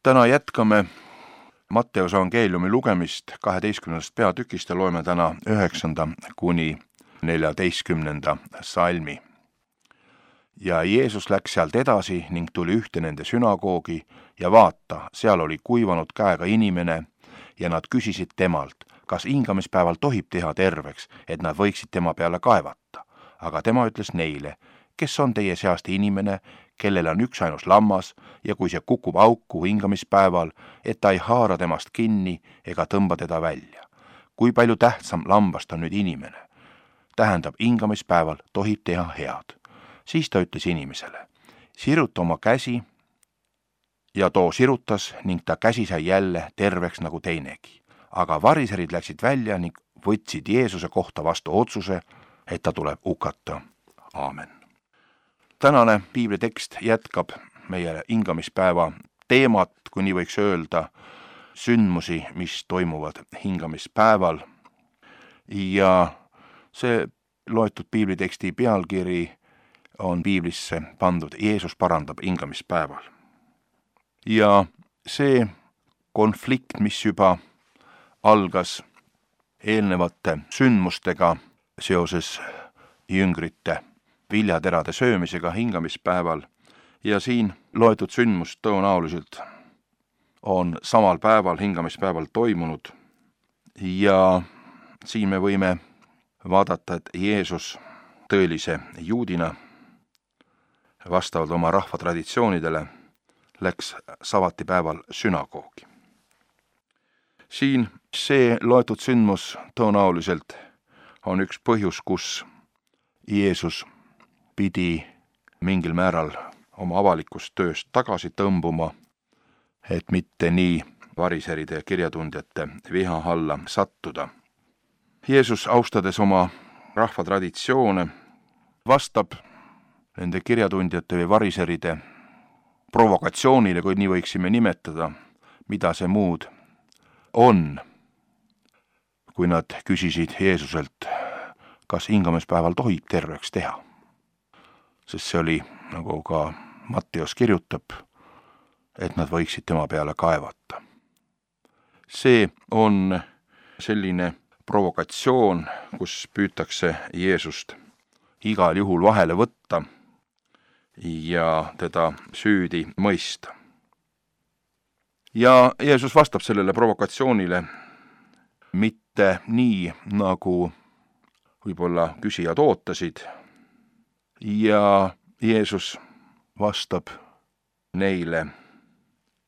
Täna jätkame Matteuse evangeeliumi lugemist 12. peatükist ja loeme täna 9. kuni 14. salmi. Ja Jeesus läks sealt edasi ning tuli ühte nende sünagoogi ja vaata, seal oli kuivanud käega inimene ja nad küsisid temalt, kas hingamispäeval tohib teha terveks, et nad võiksid tema peale kaevata. Aga tema ütles neile, kes on teie seast inimene, kellel on üksainus lammas ja kui see kukub auku hingamispäeval, et ta ei haara temast kinni ega tõmba teda välja. Kui palju tähtsam lambast on nüüd inimene? Tähendab, hingamispäeval tohib teha head. Siis ta ütles inimesele, siruta oma käsi, ja too sirutas ning ta käsi sai jälle terveks nagu teinegi. Aga variserid läksid välja ning võtsid Jeesuse kohta vastu otsuse, et ta tuleb hukata. Aamen. Tänane piiblitekst jätkab meie hingamispäeva teemat, kui nii võiks öelda, sündmusi, mis toimuvad hingamispäeval. Ja see loetud piibliteksti pealkiri on piiblisse pandud Jeesus parandab hingamispäeval. Ja see konflikt, mis juba algas eelnevate sündmustega seoses jüngrite viljaterade söömisega hingamispäeval ja siin loetud sündmus tõenäoliselt on samal päeval, hingamispäeval toimunud ja siin me võime vaadata, et Jeesus tõelise juudina vastavalt oma rahva traditsioonidele läks sabatipäeval sünagoogi. Siin see loetud sündmus tõenäoliselt on üks põhjus, kus Jeesus pidi mingil määral oma avalikust tööst tagasi tõmbuma, et mitte nii variseride ja kirjatundjate viha alla sattuda. Jeesus, austades oma rahva traditsioone, vastab nende kirjatundjate või variseride provokatsioonile, kui nii võiksime nimetada, mida see muud on, kui nad küsisid Jeesuselt, kas hingamispäeval tohib terveks teha. Sest see oli, nagu ka Matteus kirjutab, et nad võiksid tema peale kaevata. See on selline provokatsioon, kus püütakse Jeesust igal juhul vahele võtta ja teda süüdi mõista. Ja Jeesus vastab sellele provokatsioonile mitte nii, nagu võib-olla küsijad ootasid, ja Jeesus vastab neile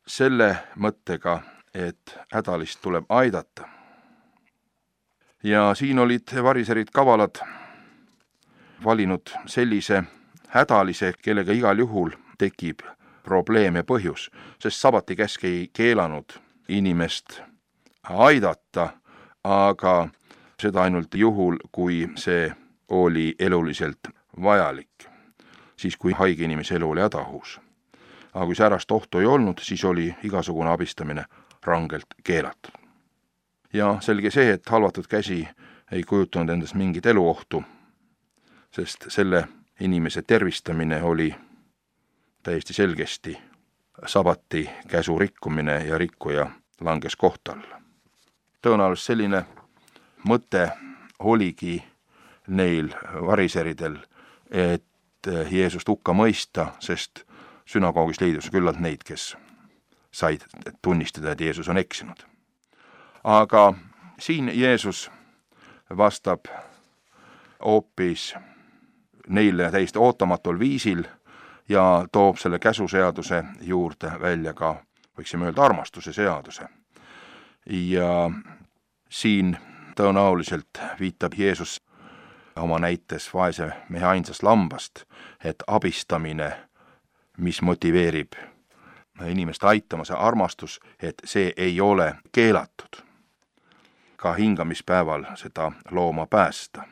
selle mõttega, et hädalist tuleb aidata. Ja siin olid variserid kavalad valinud sellise hädalise, kellega igal juhul tekib probleem ja põhjus, sest sabati käsk ei keelanud inimest aidata, aga seda ainult juhul, kui see oli eluliselt vajalik, siis kui haige inimese elu oli hädaohus. Aga kui säärast ohtu ei olnud, siis oli igasugune abistamine rangelt keelatud. Ja selge see, et halvatud käsi ei kujutanud endast mingit eluohtu, sest selle inimese tervistamine oli täiesti selgesti sabati käsu rikkumine ja rikkuja langes kohta alla. Tõenäoliselt selline mõte oligi neil variseridel, et Jeesust hukka mõista, sest sünagoogis leidus küllalt neid, kes said tunnistada, et Jeesus on eksinud. Aga siin Jeesus vastab hoopis neile täiesti ootamatul viisil ja toob selle käsuseaduse juurde välja ka, võiksime öelda, armastuse seaduse. Ja siin tõenäoliselt viitab Jeesus oma näites vaese mehe ainsast lambast, et abistamine, mis motiveerib inimest aitama, see armastus, et see ei ole keelatud. Ka hingamispäeval seda looma päästa.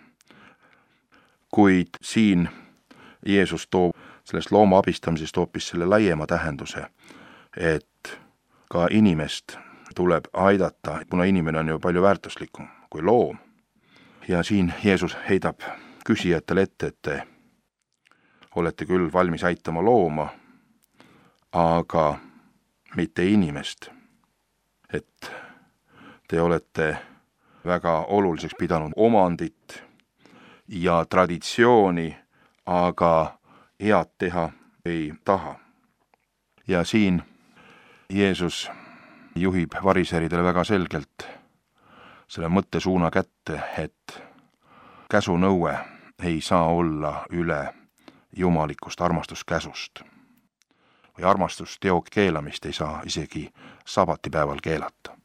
Kuid siin Jeesus toob sellest looma abistamisest hoopis selle laiema tähenduse, et ka inimest tuleb aidata, kuna inimene on ju palju väärtuslikum kui loom. Ja siin Jeesus heidab küsijatele ette, et te olete küll valmis aitama looma, aga mitte inimest. Et te olete väga oluliseks pidanud omandit ja traditsiooni, aga head teha ei taha. Ja siin Jeesus juhib variseridele väga selgelt selle mõttesuuna kätte, et käsunõue ei saa olla üle jumalikust armastuskäsust. Või armastusteo keelamist ei saa isegi sabatipäeval keelata.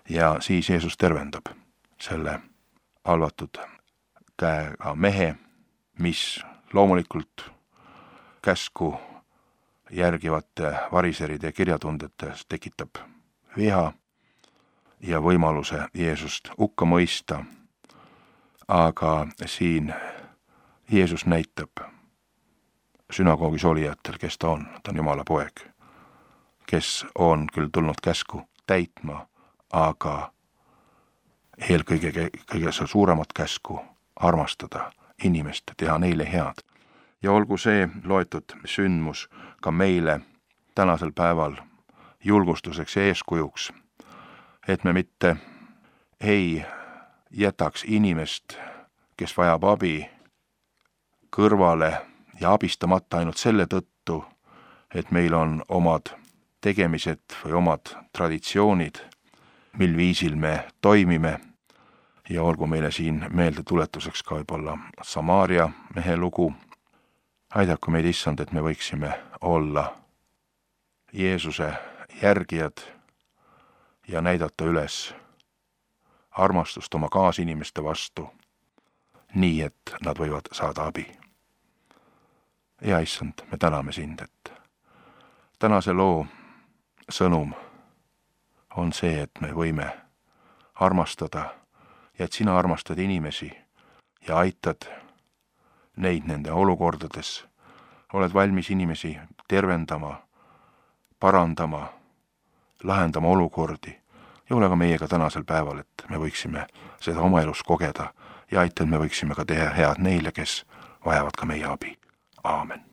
Ja siis Jeesus tervendab selle halvatud käega mehe, mis loomulikult käsku järgivate variseride kirjatundete tekitab viha ja võimaluse Jeesust hukka mõista. Aga siin Jeesus näitab sünagoogis olijatel, kes ta on Jumala poeg, kes on küll tulnud käsku täitma, aga eelkõige kõige suuremat käsku armastada inimest, teha neile head. Ja olgu see loetud sündmus ka meile tänasel päeval julgustuseks ja eeskujuks, et me mitte ei jätaks inimest, kes vajab abi, kõrvale ja abistamata ainult selle tõttu, et meil on omad tegemised või omad traditsioonid, mil viisil me toimime. Ja olgu meile siin meelde tuletuseks ka võib-olla Samaaria mehe lugu. Aidaku meid, Issand, et me võiksime olla Jeesuse järgijad ja näidata üles armastust oma kaasinimeste vastu, nii et nad võivad saada abi. Ja Issand, me täname sind, et tänase loo sõnum on see, et me võime armastada ja et sina armastad inimesi ja aitad neid nende olukordades, oled valmis inimesi tervendama, parandama, lahendama olukordi ja ole ka meiega tänasel päeval, et me võiksime seda oma elus kogeda ja aita, et me võiksime ka teha head neile, kes vajavad ka meie abi. Aamen.